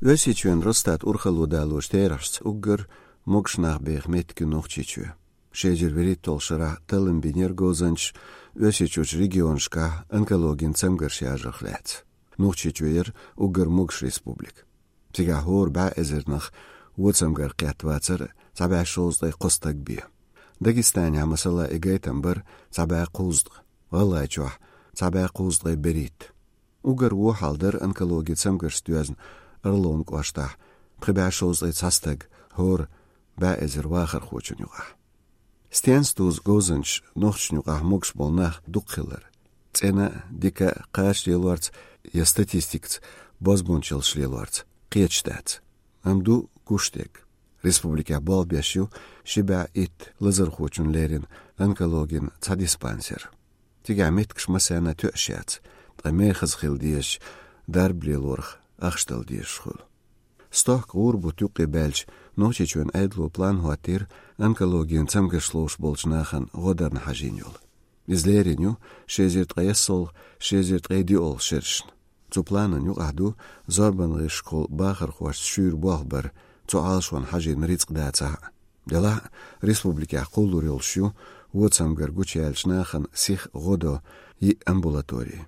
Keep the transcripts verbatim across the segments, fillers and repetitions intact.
Ösiçün rostat urxalu daluş terars ugger mogsnach beg metke nochchichu. Şejir verit tolşara talın biner gozanç ösiçuç regionşka onkologin tsamgerşajıxlat. Nochchichuyer ugger mogş respublik. Tiga hor ba ezernach wotsamger qatwatsar sabah şozday qostag bi. Dagestanya masala egaytambar sabah quzd. Vallahi çoh sabah quzday berit. Ugger wo halder onkologi tsamgerstüazn Erlon qwashta qibä şozday tsastag hor ba ezer waxar xochunyuqa. Stenstus gozanç nochchnyuqa mogs bolnach duqhiller. Tsena dika qash yelwarts ya statistikts bozbunchil shlelwarts qiyachtats. Amdu gushtek. Respublika balbeshu shiba it lazar xochunlerin onkologin tsadispanser. Tiga metksh masana töshats. Tqamexz khildish darblelorx Achstel die schul. Stoch urbu tuqi belch nochechun edlo plan hoatir onkologien tsamgeschloos bolchnachen rodern hajinjol. Izlerinju shezert qayasol shezert qaydiol shirshn. Zu planen ju ahdu zorban schol bacher khwas shur bohber zu alshwan hajin ritzqdatsa. Dela respublika quluril shu wotsamger guchelchnachen sich rodo i ambulatori.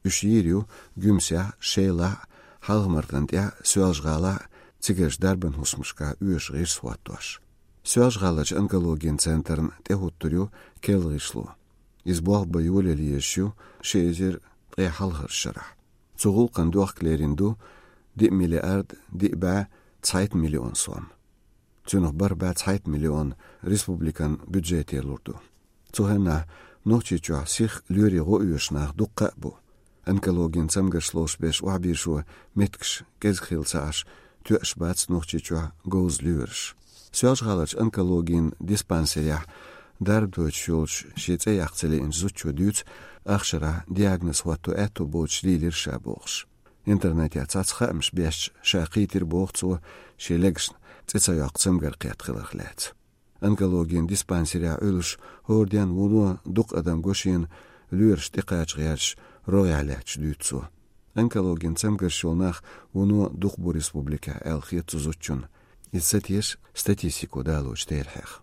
Ushirju gümsya shela Halgmartant ja söjgala tsigesh darben husmushka üş gis swatosh. Söjgalach onkologin centern tehutturyu kelgishlu. Izbog bayuleli yeshu shezer qe halgır şara. Zugul qanduq klerindu di milyard di ba Zeit milyon son. Zunoch bar ba Zeit milyon Respublikan budget lurdu. Zuhenna nochchichu sich lyri ro üş nach duqqa bu. Onkologin tsamgerschloos besh wabishu metksh gezkhilsash tuashbats nochchichua goz lürsh. Söjgalach onkologin dispanserja darbdochulch shitse yachtsele in zuchu düts achshara diagnoz watu eto boch lilir shaboch. Internet ya tsatsxamsh besh shaqitir bochso shelegsh tsetsa yaqtsamger qiyatkhilaklat. Onkologin dispanserja ölüsh hordian wulu duq adam goshin lürsh tiqachgyash royalach dütso. Onkologin tsamgershulnach uno duq bu respublika elkhiyat zuchun. Itsatish statistiku daluch terhekh.